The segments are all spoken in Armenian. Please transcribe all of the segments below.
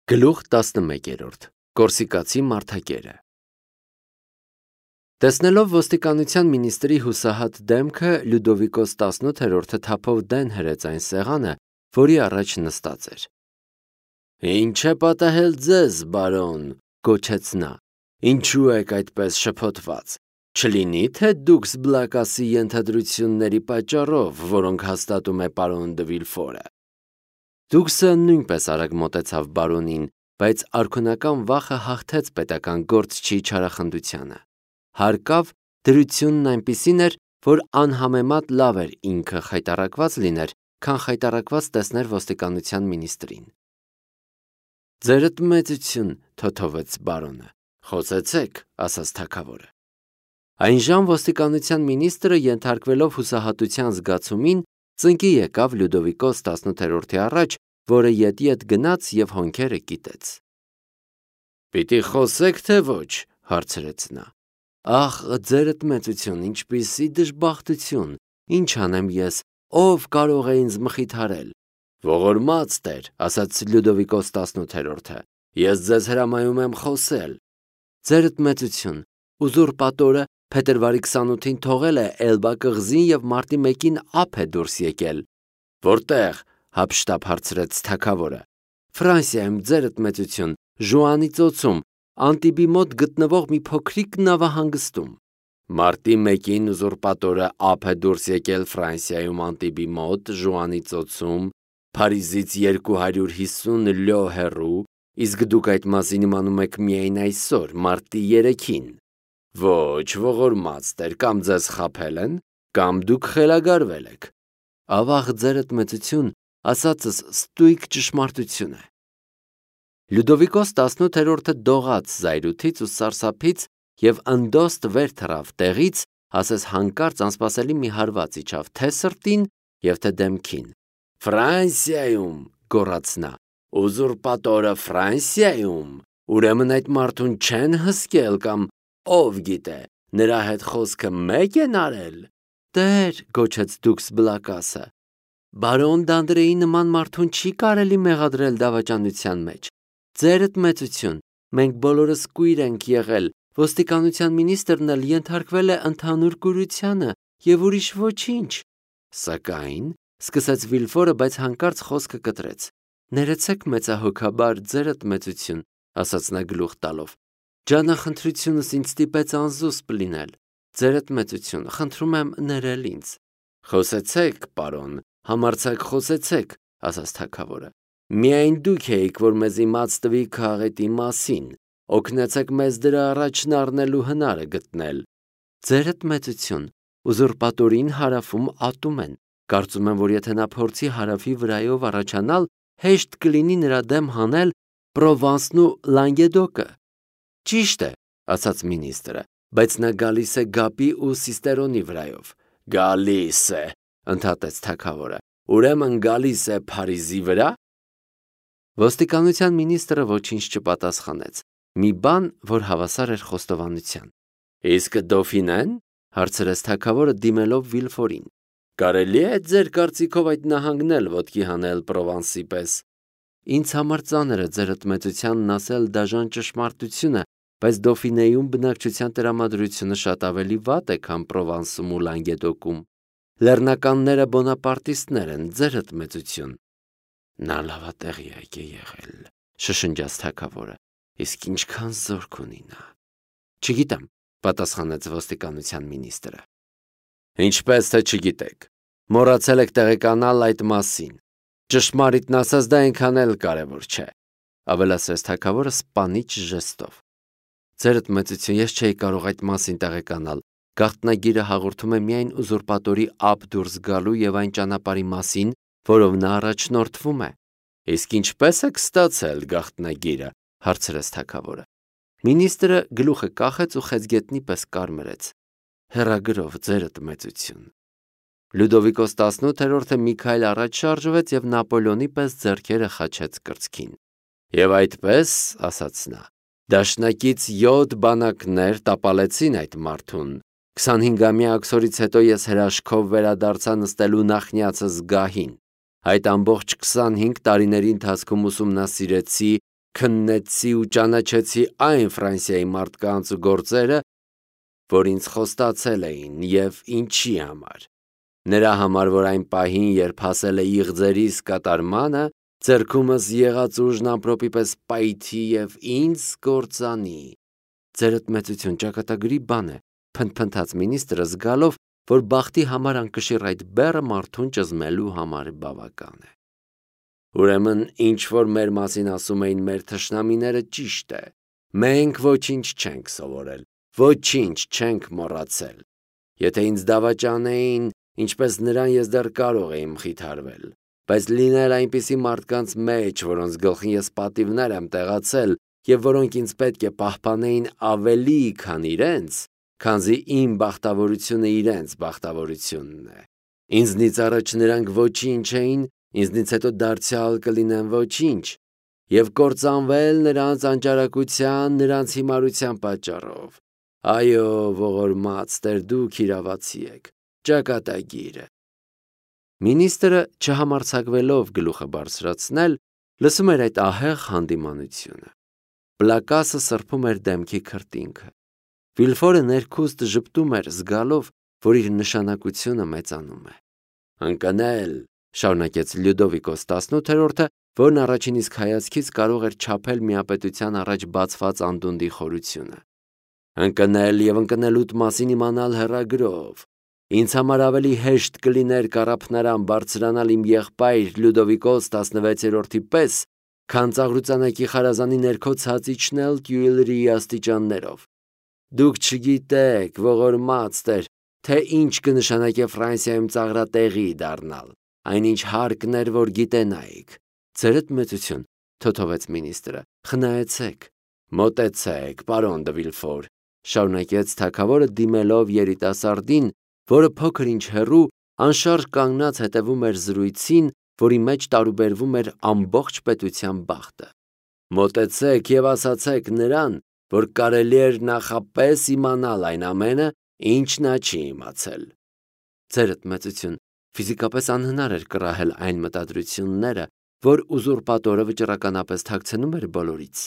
Գլուխ 11 Կորսիկացի մարդակերը Տեսնելով ոստիկանության մինիստրի հուսահատ դեմքը, Լյուդովիկոս 18-րդը թափով դեն հրեց այն սեղանը, որի առաջ նստած էր։ «Ինչ է պատահել ձեզ, բարոն», գոչեց նա, «ինչու եք այդպես շփոթված, չլինի թե դուքս Բլակասի ենթադրությունների պատճառով, որոնք հաստատում է պարոն դը Վիլֆորը»։ Դուքսը նույնպես արագ մոտեցավ բարոնին, բայց արքունական վախը հաղթեց պետական գործչի չարախնդությանը։ Հարկավ դրությունն այնպիսին էր, որ անհամեմատ լավ էր ինքը խայտառակված լիներ, քան խայտառակված տեսներ ոստիկանության մինիստրին։ «Ձերդ մեծություն», թոթովեց բարոնը։ «Խոսեցեք», ասաց թագավորը։ Այնժամ ոստիկանության մինիստրը, ենթարկվելով հուսահատության զգացումին, ծնկի եկավ Լյուդովիկոս 18-րդի առաջ, որը ետ գնաց և հոնքերը կիտեց։ «Պիտի խոսեք, թե ոչ», հարցրեց նա։ «Ախ, ձերդ մեծություն, ինչպիսի դժբախտություն, ինչ անեմ ես, ով կարող է ինձ մխիթարել»։ «Ողորմած տեր», ասաց Լյուդովիկոս 18-րդը, «ես ձեզ հրամայում եմ խոսել»։ «Ձերդ մեծություն, ուզուրպատորը փետրվարի 28-ին թողել է Էլբա կղզին և մարտի 1-ին ափ է դուրս եկել»։ «Որտեղ», հափշտապ հարցրեց թագավորը։ «Ֆրանսիայում, ձերդ մեծություն, Ժուանի ծոցում, Անտիբի մոտ գտնվող մի փոքրիկ նավահանգստում»։ «Մարտի 1-ին ուզուրպատորը ափ է դուրս եկել Ֆրանսիայում Անտիբի մոտ, Ժուանի ծոցում, Փարիզից 250 լյո հեռու, իսկ դուք այդ մասին իմանում եք միայն այսօր, մարտի 3-ին։ Ոչ, ողորմած տեր, կամ ձեզ խաբել են, կամ դուք խելագարվել եք»։ «Ավաղ, ձերդ մեծություն, ասածս ստույգ ճշմարտություն է»։ Լյուդովիկոս 18-րդը դողաց զայրույթից ու սարսափից և ընդոստ վեր թռավ տեղից, ասես հանկարծ անսպասելի մի հարված իջավ թե սրտին և թե դեմքին։ «Ֆրանսիայում», գոռաց նա, «ուզուրպատորը Ֆրանսիայում, ուրեմն այդ մարդուն չեն հսկել կամ, ով գիտե, նրա հետ խոսքը մեկ են արել»։ «Տեր», գոչեց դուքս Բլակասը, «բարոն Դանդրեի նման մարդուն չի կարելի մեղադրել դավաճանության մեջ։ Ձերդ մեծություն, մենք բոլորս կույր ենք եղել, ոստիկանության մինիստրն էլ ենթարկվել է ընդհանուր կուրությանը և ուրիշ ոչինչ»։ «Սակայն», սկսեց Վիլֆորը, բայց հանկարծ խոսքը կտրեց։ «Ներեցեք մեծահոգաբար, ձերդ մեծություն», ասաց նա գլուխ տալով, «ջանախնդրությունս ինձ ստիպեց անզուսպ լինել։ Ձերդ մեծություն, խնդրում եմ ներել ինձ»։ «Խոսեցեք, պարոն, համարձակ խոսեցեք», ասաց թագավորը։ «Միայն դուք էիք, որ մեզ իմաց տվիք քաղաքետի մասին, օգնեցեք մեզ դրա առաջն առնելու հնարը գտնել»։ «Ձերդ մեծություն, ուզուրպատորին հարավում ատում են, կարծում եմ, որ եթե նա փորձի հարավի վրայով առաջանալ, հեշտ կլինի նրա դեմ հանել Պրովանսն ու Լանգեդոկը»։ «Ճիշտ է», ասաց մինիստրը, «բայց նա գալիս է Գապի ու Սիստերոնի վրայով»։ «Գալիս է», ընդհատեց թագավորը, «ուրեմն գալիս է Փարիզի վրա»։ Ոստիկանության մինիստրը ոչինչ չպատասխանեց, մի բան, որ հավասար էր խոստովանության։ «Իսկ Դոֆինեն», հարցրեց թագավորը, դիմելով Վիլֆորին, «կարելի է ձեր կարծիքով այդ նահանգն էլ ոտքի հանել Պրովանսի պես»։ «Ինձ համար ծանր է ձերդ մեծությանն ասել դաժան ճշմարտությունը, բայց Դոֆինեում բնակչության տրամադրությունը շատ ավելի վատ է, քան Պրովանսում ու Լանգեդոկում։ Լեռնականները բոնապարտիստներ են, ձերդ մեծություն»։ «Նա լավատեղյակ է եղել», շշնջաց թագավորը, «իսկ ինչքան զորք ունի նա»։ «Չգիտեմ», պատասխանեց ոստիկանության մինիստրը։ «Ինչպես թե չգիտեք, մոռացել եք տեղեկանալ այդ մասին։ Ճշմարիտն ասած, դա այնքան էլ կարևոր չէ», ավելացրեց թագավորը սպանիչ ժեստով։ «Ձերդ մեծություն, ես չէի կարող այդ մասին տեղեկանալ։ Գաղտնագիրը հաղորդում է միայն ուզուրպատորի ափ դուրս գալու և այն ճանապարհի մասին, որով նա առաջնորդվում է»։ «Իսկ ինչպե՞ս եք ստացել գաղտնագիրը», հարցրեց թագավորը։ Մինիստրը գլուխը կախեց ու խեցգետնի պես կարմրեց։ «Հեռագրով, ձերդ մեծություն»։ Լյուդովիկոս 18-րդը մի քայլ առաջ շարժվեց և Նապոլեոնի պես ձեռքերը խաչեց կրծքին։ «Եվ այդպես», ասաց նա, «դաշնակից 7 բանակներ տապալեցին այդ մարդուն։ 25-ամյա աքսորից հետո ես հրաշքով վերադարձա նստելու նախնյացս գահին։ Այդ ամբողջ 25 տարիների ընթացքում ուսումնասիրեցի քննեցի ու ճանաչեցի այն Ֆրանսիայի մարդկանց ու գործերը, որ ինձ խոստացել էին եւ ինչի համար։ Նրա համար, որ այն պահին, երբ հասել է իղձերիս կատարմանը, ձեռքումս եղած ուժն ամպրոպի պես պայթի եւ ինձ կործանի։ Ձերդ մեծություն ճակատագրի բան է, փնթփնթաց մինիստրը զգալով, որ բախտի համար անկշիռ այդ բեռը մարդուն ճզմելու համար բավական է։ Ուրեմն, ինչ որ մեր մասին ասում էին մեր թշնամիները ճիշտ է։ Մենք ոչինչ չենք սովորել, ոչինչ չենք մոռացել։ Եթե ինձ դավաճանեին, ինչպես նրան ես դեռ կարող էի մխիթարվել, բայց լինել այնպիսի մարդկանց մեջ, որոնց գլխին ես պատիվներ եմ տեղացել եւ որոնք ինձ պետք է պահպանեին ավելի, քան իրենց, քանզի իմ բախտավորությունը իրենց բախտավորությունն է։ Ինձնից առաջ նրանք ոչինչ էին, ինձնից հետո դարձյալ կլինեն ոչինչ, եւ կործանվել նրանց անճարակության, նրանց հիմարության պատճառով։ Այո, ողորմած Տեր, դուք իրավացի եք, ճակատագիր է։ Մինիստրը, չհամարձակվելով գլուխը բարձրացնել, լսում էր այդ ահեղ հանդիմանությունը։ Պլակասը սրբում էր դեմքի քրտինքը։ Վիլֆորը ներքուստ ժպտում էր, զգալով, որ իր նշանակությունը մեծանում է։ Ընկնել, շարունակեց Լյուդովիկոս 18-րդը, որն առաջին իսկ հայացքից կարող էր չափել միապետության առաջ բացված անդունդի խորությունը։ Ընկնել եւ ընկնելուտ մասին իմանալ հեռագրով։ Ինձ համար ավելի հեշտ կլիներ կառափնարան բարձրանալ իմ եղբայր Լյուդովիկոս 16-րդի պես, քան ծաղրուծանակի խարազանի ներքո ցած իջնել Տյուիլրիի աստիճաններով։ Դուք չգիտեք, ողորմած Տեր, թե ինչ կնշանակե Ֆրանսիայում ծաղրատեղի դառնալ, այնինչ հարկն էր, որ գիտենայիք։ Ձերդ մեծություն, թոթովեց մինիստրը, խնայեցեք, մոտեցեք, պարոն դը Վիլֆոր, շարունակեց թագավորը դիմելով երիտասարդին, որը փոքր ինչ հեռու անշարժ կանգնած հետևում էր զրույցին, որի մեջ տարուբերվում էր ամբողջ պետության բախտը։ Մոտեցեք եւ ասացեք նրան, որ կարելի էր նախապես իմանալ այն ամենը, ինչ նա չի իմացել։ Ձերդ մեծություն, ֆիզիկապես անհնար էր կռահել այն մտադրությունները, որ ուզուրպատորը վճռականապես թաքցնում էր բոլորից։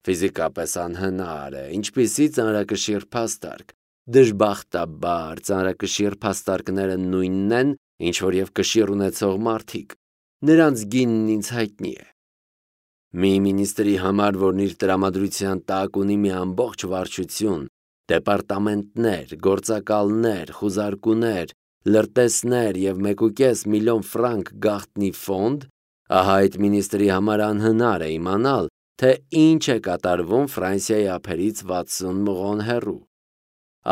Ֆիզիկապես անհնար է, ինչպիսի ծանրակշիռ փաստարկ։ Դժբախտաբար ծանրակշիռ փաստարկները նույնն են, ինչ որ եւ կշիռ ունեցող մարդիկ։ Նրանց գինն ինձ հայտնի է։ Մի մինիստրի համար, որն իր տրամադրության տակ ունի մի ամբողջ վարչություն, դեպարտամենտներ, գործակալներ, խուզարկուներ, լրտեսներ եւ 1.5 միլիոն ֆրանկ գաղտնի ֆոնդ, ահա այդ մինիստրի համար անհնար է իմանալ, թե ինչ է կատարվում Ֆրանսիայի ափերից 60 մղոն հեռու։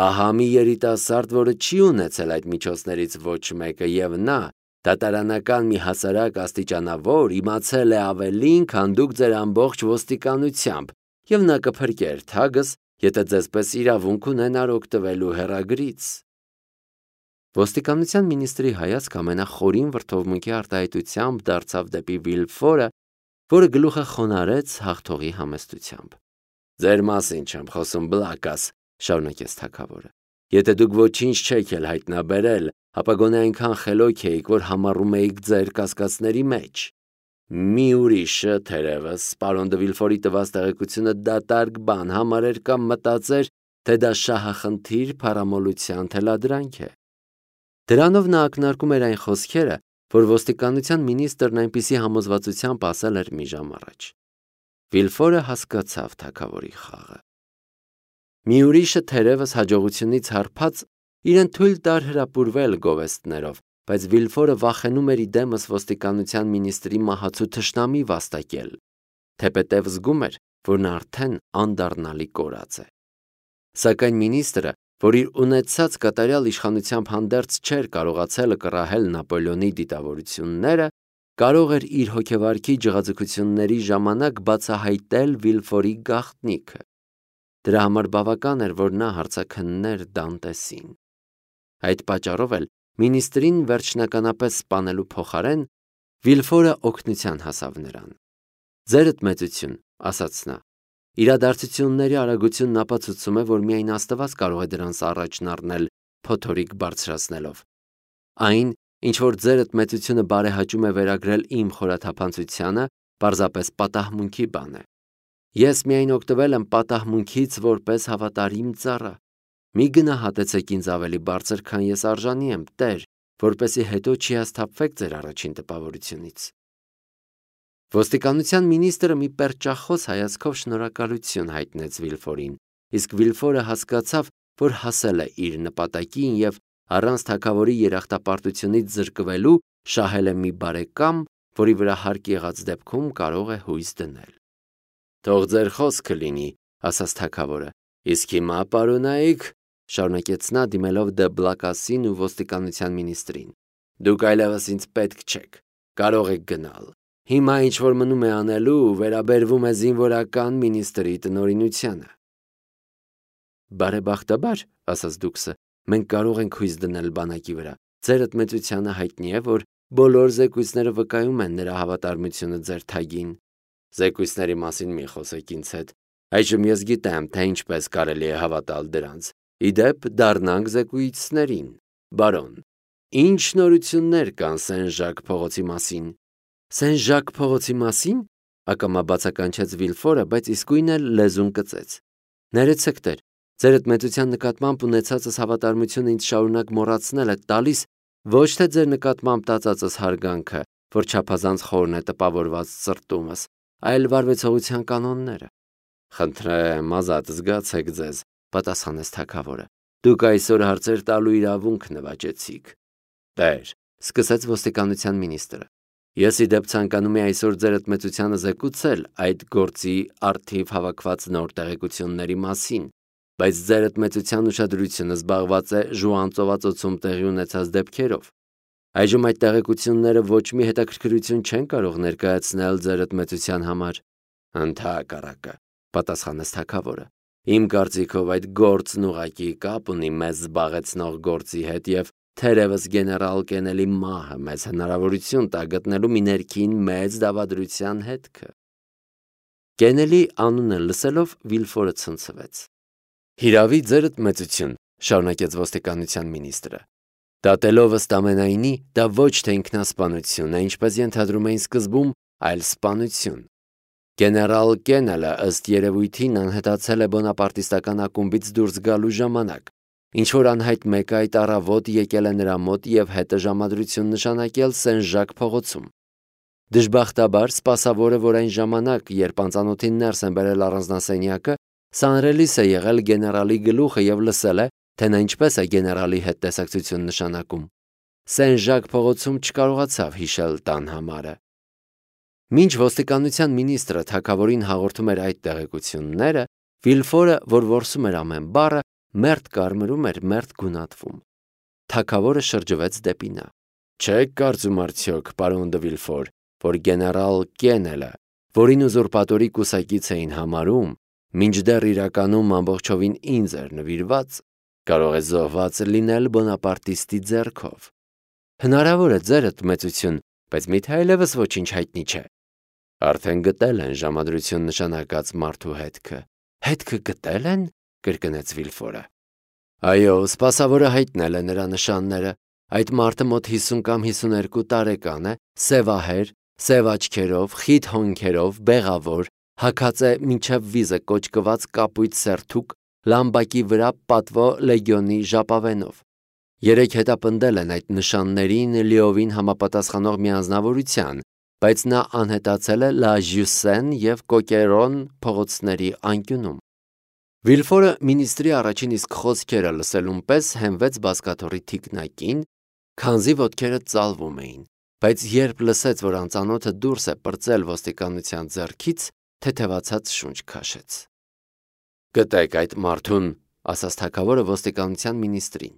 Ահա մի երիտասարդ, որը չի ունեցել այդ միջոցներից ոչ մեկը եւ նա, դատարանական մի հասարակ աստիճանավոր, իմացել է ավելին, քան դուք ձեր ամբողջ ոստիկանությամբ, եւ նա կփրկեր թագս, եթե ձեզպես իրավունք ունենար օգտվելու հեռագրից։ Ոստիկանության մինիստրի հայացք ամենախորին վրդովմունքի արտահայտությամբ դարձավ դեպի Վիլֆորը, որը գլուխը խոնարհեց հաղթողի համեստությամբ։ Ձեր մասին չեմ խոսում, Բլակաս, շարունակեց թագավորը։ Եթե դուք ոչինչ չեք էլ հայտնաբերել, ապա գոնե այնքան խելոք էիք, որ համառում էիք ձեր կասկածների մեջ։ Մի ուրիշը, թերևս, պարոն դը Վիլֆորի տված տեղեկությունը դատարկ բան համարեր կամ մտածեր, թե դա շահախնդիր փառամոլության թելադրանք է։ Դրանով նա ակնարկում էր այն խոսքերը, որ ոստիկանության մինիստրն այնպիսի համոզվածությամբ ասել էր մի ժամ առաջ։ Վիլֆորը հասկացավ թագավորի խաղը։ Մի ուրիշը թերևս հաջողությունից հարբած իրեն թույլ տար հրապուրվել գովեստներով, բայց Վիլֆորը վախենում էր իդեմս ոստիկանության մինիստրի մահացու թշնամի վաստակել, թեպետև զգում էր, որ նա արդեն անդառնալի կորած է։ Սակայն մինիստրը, որ իր ունեցած կատարյալ իշխանությամբ հանդերձ չէր կարողացել կռահել Նապոլեոնի դիտավորությունները, կարող էր իր հոգեվարքի ջղաձգությունների ժամանակ բացահայտել Վիլֆորի գաղտնիքը։ Դրա համար բավական էր, որ նա հարցաքններ Դանտեսին։ Այդ պատճառով էլ մինիստրին վերջնականապես սպանելու փոխարեն Վիլֆորը օգնության հասավ նրան։ Ձերդ մեծություն, ասաց նա, իրադարձությունների արագությունն ապացուցում է, որ միայն Աստված կարող է դրանց առաջն առնել փոթորիկ բարձրացնելով։ Այն, ինչ որ ձերդ մեծությունը բարեհաճում է վերագրել իմ խորաթափանցությանը, պարզապես պատահմունքի բան է։ Ես միայն օգտվել եմ պատահմունքից որպես հավատարիմ ծառա։ Մի գնահատեցեք ինձ ավելի բարձր, քան ես արժանի եմ, Տեր, որպեսզի հետո չհիասթափվեք ձեր առաջին տպավորությունից։ Ոստիկանության մինիստրը մի պերճախոս հայացքով շնորհակալություն հայտնեց Վիլֆորին, իսկ Վիլֆորը հասկացավ, որ հասել է իր նպատակին և առանց թագավորի երախտապարտությունից զրկվելու շահել է մի բարեկամ, որի վրա հարկ եղած դեպքում կարող է հույս դնել։ Թող ձեր խոսքը լինի, ասաց թագավորը, իսկ հիմա պարոնայք, շարունակեց նա դիմելով Դեբլակասին ու ոստիկանության մինիստրին, դուք այլևս ինձ պետք չեք, կարող եք գնալ։ Հիմա ինչ որ մնում է անելու, վերաբերվում է զինվորական մինիստրի տնօրինությանը։ Բարեբախտաբար, ասաց դուքսը, մենք կարող ենք հույս դնել բանակի վրա։ Ձերդ մեծությանը հայտնի է, որ բոլոր զեկույցները վկայում են նրա հավատարմությունը ձեր թագին։ Զեկույցների մասին մի խոսեք ինձ հետ։ Այժմ ես գիտեմ, թե ինչպես կարելի է հավատալ դրանց։ Իդեպ դառնանք զեկույցներին։ Բարոն, ինչ նորություններ կան Սեն-Ժակ փողոցի մասին։ Սեն-Ժակ փողոցի մասին, ակամա բացականչեց Վիլֆորը, բայց իսկույն էլ լեզուն կծեց։ Ներեցեք, Տեր, ձերդ մեծության նկատմամբ ունեցածս հավատարմությունը ինձ շարունակ մոռացնել է տալիս ոչ թե ձեր նկատմամբ տածածս հարգանքը, որ չափազանց խորն է տպավորված սրտումս, այլ վարվեցողության կանոնները։ Խնդրեմ, ազատ զգացեք ձեզ, պատասխանեց թագավորը։ Դուք այսօր հարցեր տալու իրավունք նվաճեցիք։ Տեր, սկսեց ոստիկանության մինիստրը։ Ես իդեպ ցանկանում եմ այսօր ձերդ մեծությանը զեկուցել այդ գործի առթիվ հավաքված նոր տեղեկությունների մասին, բայց ձերդ մեծության ուշադրությունը զբաղված է Ժուան ծովածոցում տեղի ունեցած դեպքերով։ Այժմ այդ տեղեկությունները ոչ մի հետաքրքրություն չեն կարող ներկայացնել ձերդ մեծության համար։ Ընդհակառակը, պատասխանեց թագավորը։ Իմ կարծիքով այդ գործն ուղղակի կապ ունի մեզ զբաղեցնող գործի հետ և թերևս գեներալ Կենելի մահը մեզ հնարավորություն տա գտնելու մի ներքին մեծ դավադրության հետքը։ Կենելի անունը լսելով Վիլֆորը ցնցվեց։ Հիրավի ձերդ մեծություն, շարունակեց ոստիկանության մինիստրը։ Դատելով ըստ ամենայնի, դա ոչ թե ինքնասպանություն է, ինչպես ենթադրում էին սկզբում, այլ սպանություն։ Գեներալ Կենելը ըստ երևույթին անհետացել է բոնապարտիստական ակումբից դուրս գալու ժամանակ, ինչ-որ անհայտ մեկը այդ առավոտ եկել է նրա մոտ և հետը ժամադրություն նշանակել Սեն-Ժակ փողոցում։ Դժբախտաբար սպասավորը, որ այն ժամանակ, երբ անծանոթին ներս են բերել առանձնասենյակը, սանրելիս է եղել գեներալի գլուխը և լսել է, թե նա ինչպես է գեներալի հետ տեսակցություն նշանակում։ Սեն-Ժակ փողոցում չկարողացավ հիշել տան համարը։ Մինչ ոստիկանության մինիստրը թագավորին հաղորդում էր այդ տեղեկությունները, Վիլֆորը, որ որսում էր ամեն բառը, մերթ կարմրում էր, մերթ գունատվում։ Թագավորը շրջվեց դեպի նա։ Չեք կարծում արդյոք, պարոն դը Վիլֆոր, որ գեներալ Կենելը, որին ուզուրպատորի կուսակից էին համարում, մինչդեռ իրականում ամբողջովին ինձ էր նվիրված, կարող է զոհված լինել բոնապարտիստի ձեռքով։ Հնարավոր է ձերդ մեծություն, բայց միթե այլևս ոչինչ հայտնի չէ։ Արդեն գտել են ժամադրություն նշանակած մարդու հետքը։ Հետքը գտել են, կրկնեց Վիլֆորը։ Այո, սպասավորը հայտնել է նրա նշանները։ Այդ մարդը մոտ 50 կամ 52 տարեկան է, սևահեր, սև աչքերով, խիտ հոնքերով, բեղավոր, հագած է մինչև վիզը կոճկված կապույտ սերթուկ, լամբակի վրա պատվո լեգիոնի ժապավենով։ Երեք հետապնդել են այդ նշաններին լիովին համապատասխանող մի անձնավորության, բայց նա անհետացել է Լա Ժյուսեն և Կոկերոն փողոցների անկյունում։ Վիլֆորը մինիստրի առաջին իսկ խոսքերը լսելուն պես հենվեց բազկաթոռի թիկնակին, քանզի ոտքերը ծալվում էին, բայց երբ լսեց, որ անծանոթը դուրս է պրծել ոստիկանության ձեռքից, թեթևացած շունչ քաշեց։ Գտեք այդ մարդուն, ասաց թագավորը ոստիկանության մինիստրին,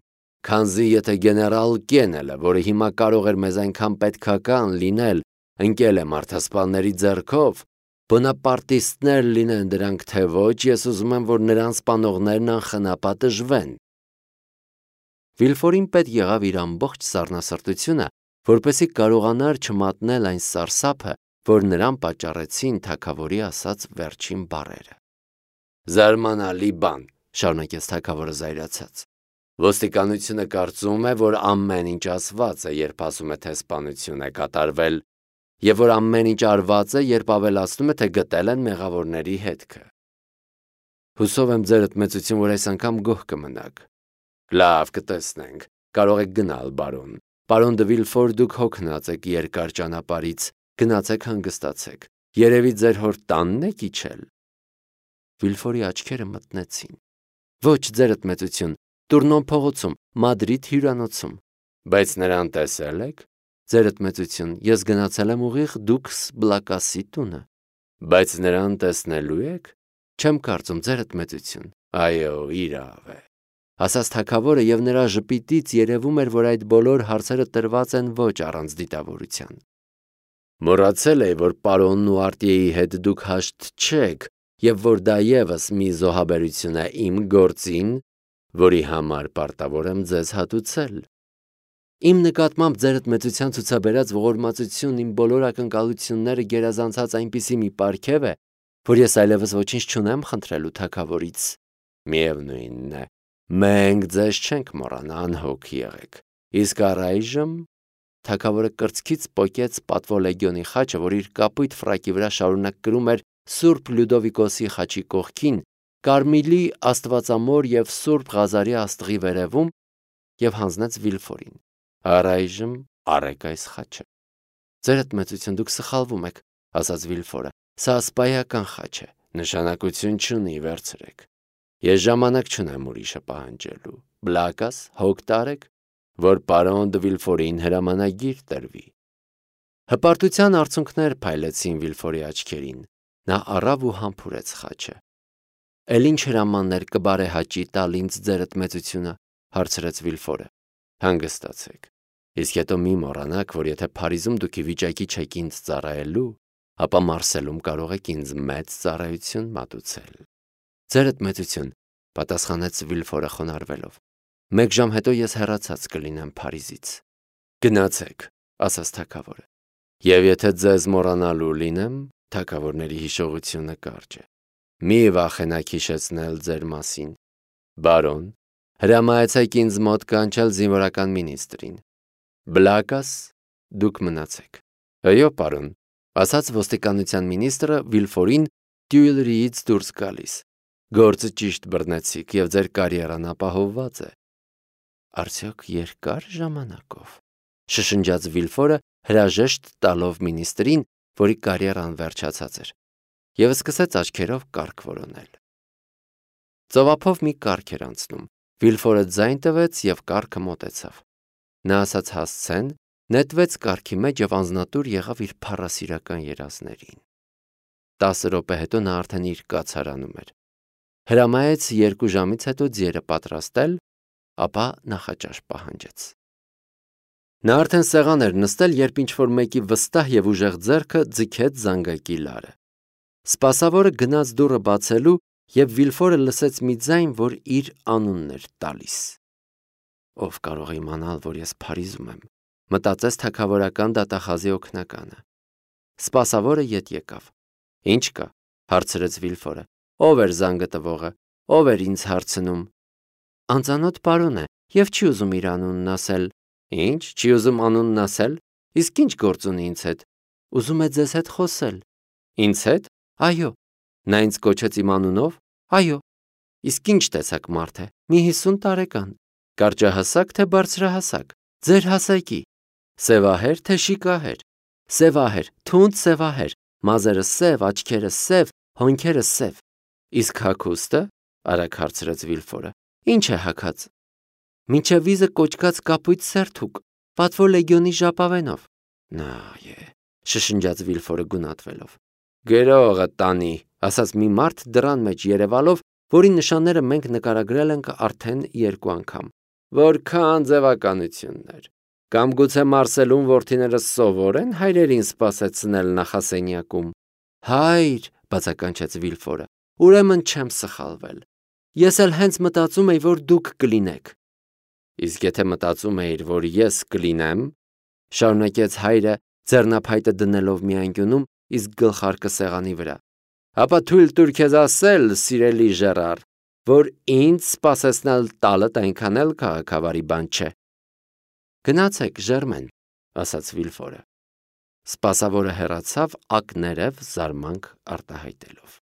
քանզի եթե գեներալ Կենելը, որը հիմա կարող էր մեզ այնքան պետքական լինել, ընկել է մարդասպանների ձեռքով, բոնապարտիստներ լինեն դրանք թե ոչ, ես ուզում եմ, որ նրան սպանողներն անխնապատժվեն։ Վիլֆորին պետք եղավ իր ամբողջ սառնասրտությունը, որպեսզի կարողանար չմատնել այն սարսափը, որ նրան պատճառեցին թագավորի ասած վերջին բառերը։ Զարմանալի բան, շարունակեց թագավորը զայրացած։ Ոստիկանությունը կարծում է, որ ամեն ինչ ասված է, երբ ասում է, թե սպանություն է կատարվել, եւ որ ամեն ինչ արված է, երբ ավելացնում է, թե գտել են մեղավորների հետքը։ Հուսով եմ ձերդ մեծություն, որ այս անգամ գոհ կմնաք։ Լավ, կտեսնենք, կարող եք գնալ, բարոն։ Պարոն դե Վիլֆոր, դուք հոգնած եք երկար ճանապարհից, գնացեք հանգստացեք։ Երևի ձեր հոր տանն եք իջել։ Վիլֆորի աչքերը մտնեցին։ Ոչ, ձերդ մեծություն, Տուրնոն փողոցում, Մադրիդ հյուրանոցում։ Բայց նրան տեսել եք։ Ձերդ մեծություն, ես գնացել եմ ուղիղ Դուքս Բլակասի տունը։ Բայց նրան տեսնելու եք։ Չեմ կարծում, ձերդ մեծություն։ Այո, իրավ է։ Ասաց թագավորը եւ նրա ժպիտից երևում էր, որ այդ բոլոր հարցերը տրված են ոչ առանց դիտավորության։ Մոռացել էի, որ պարոնն ու արտիեի հետ դուք հաշտ չեք եւ որ դա եւս մի զոհաբերություն է իմ գործին, որի համար պարտավոր եմ ձեզ հատուցել։ Իմ նկատմամբ ձերդ մեծության ցուցաբերած ողորմածությունն իմ բոլոր ակնկալությունները գերազանցած այնպիսի մի պարգև է, որ ես այլևս ոչինչ չունեմ խնդրելու թագավորից։ Միևնույնն է, մենք ձեզ չենք մոռանա, անհոգ եղեք։ Իսկ առայժմ թագավորը կրծքից պոկեց պատվո լեգիոնի խաչը, որ իր կապույտ ֆրակի վրա շարունակ կրում էր Սուրբ Լյուդովիկոսի խաչի կողքին, Կարմիլի Աստվածամոր եւ Սուրբ Ղազարի աստղի վերևում, եւ հանձնեց Վիլֆորին։ Առայժմ առեք այս խաչը։ Ձերդ մեծություն, դուք սխալվում եք, ասաց Վիլֆորը։ Սա սպայական խաչ է, նշանակություն չունի, վերցրեք։ Ես ժամանակ չունեմ ուրիշը պահանջելու։ Բլակաս, հոգ տարեք, որ պարոն դե Վիլֆորին հրամանագիր տրվի։ Հպարտության արցունքներ փայլեցին Վիլֆորի աչքերին։ Նա առավ ու համբուրեց խաչը։ Էլ ինչ հրամաններ կբարեհաճի տալ ինձ ձերդ մեծությունը, հարցրեց Վիլֆորը։ Հանգստացեք։ Իսկ հետո մի մոռանաք, որ եթե Փարիզում դուք ի վիճակի չեք ինձ ծառայելու, ապա Մարսելում կարող եք ինձ մեծ ծառայություն մատուցել։ Ձերդ մեծություն, պատասխանեց Վիլֆորը խոնարհվելով։ Մեկ ժամ հետո ես հեռացած կլինեմ Փարիզից։ Գնացեք, ասաց թագավորը։ Եվ եթե ձեզ մոռանալու լինեմ, թագավորների հիշողությունը կարճ է։ Մի վախենաք հիշեցնել ձեր մասին։ Բարոն, հրամայեցեք ինձ մոտ կանչել զինվորական մինիստրին։ Բլակաս, դուք մնացեք։ Այո, պարոն, ասաց ոստիկանության մինիստրը Վիլֆորին Տյուիլրիից դուրս գալիս։ Գործը ճիշտ բռնեցիք եւ ձեր կարիերան ապահովված է։ Արդյոք երկար ժամանակով, շշնջաց Վիլֆորը հրաժեշտ տալով մինիստրին, որի կարիերան վերջացած էր, եւ սկսեց աչքերով կարգ որոնել։ Ծովափով մի կարգ էր անցնում։ Վիլֆորը ձայն տվեց եւ կարգը մոտեցավ։ Նա ասաց հասցեն, նետվեց կարգի մեջ եւ անznատուր եղավ իր փառասիրական երազներին։ 10 րոպե հետո նա արդեն իր կացարանում էր։ Հրամայեց 2 ժամից հետո ձիերը պատրաստել, ապա նախաճաշ պահանջեց։ Նա արդեն սեղան էր նստել, երբ ինչ-որ մեկի վստահ եւ ուժեղ ձեռքը ձգեց զանգակի լարը։ Սպասավորը գնաց դուռը բացելու եւ Վիլֆորը լսեց մի ձայն, որ իր անունն էր տալիս։ Ով կարող է իմանալ, որ ես Փարիզում եմ, մտածեց թագավորական դատախազի օգնականը։ Սպասավորը ետ եկավ։ Ինչ կա, հարցրեց Վիլֆորը։ Ով էր զանգը տվողը, ով էր ինձ հարցնում։ Անծանոթ պարոն է եւ չի ուզում իր անունն ասել։ Ինչ, չի ուզում անունն ասել։ Իսկ ինչ գործ ունի ինձ հետ։ Ուզում է ձեզ հետ խոսել։ Ինձ հետ։ Այո։ Նա ինձ կոչեց իմ անունով։ Այո։ Իսկ ինչ տեսակ մարդ է։ Մի 50 տարեկան։ Կարճահասակ թե բարձրահասակ։ Ձեր հասակի։ Սևահեր թե շիկահեր։ Սևահեր, թունդ սևահեր։ Մազերը սև, աչքերը սև, հոնքերը սև։ Իսկ հագուստը, արագ հարցրեց Վիլֆորը։ Ինչ է հագած։ Մինչև վիզը կոճկած կապույտ սերթուկ, պատվո լեգիոնի ժապավենով։ Նա է, շշնջաց Վիլֆորը գունատվելով։ Գրողը տանի, ասաց մի մարդ դռան մեջ երևալով, որի նշանները մենք նկարագրել ենք արդեն 2 անգամ։ Որքան ձևականություններ։ Կամ գուցե Մարսելում որդիներս սովոր են հայրերին սպասեցնել նախասենյակում։ Հայր, բացականչեց Վիլֆորը, ուրեմն չեմ սխալվել։ Ես էլ հենց մտածում էի, որ դուք կլինեք։ Իսկ եթե մտածում էիր, որ ես կլինեմ, շարունակեց հայրը, ձեռնափայտը դնելով մի անկյունում, իսկ գլխարկը սեղանի վրա, ապա թույլ տուր քեզ ասել, սիրելի Ժերար, որ ինձ սպասեցնել տալդ այնքան էլ քաղաքավարի բան չէ։ Գնացեք, Ժերմեն, ասաց Վիլֆորը։ Սպասավորը հեռացավ ակներև զարմանք արտահայտելով։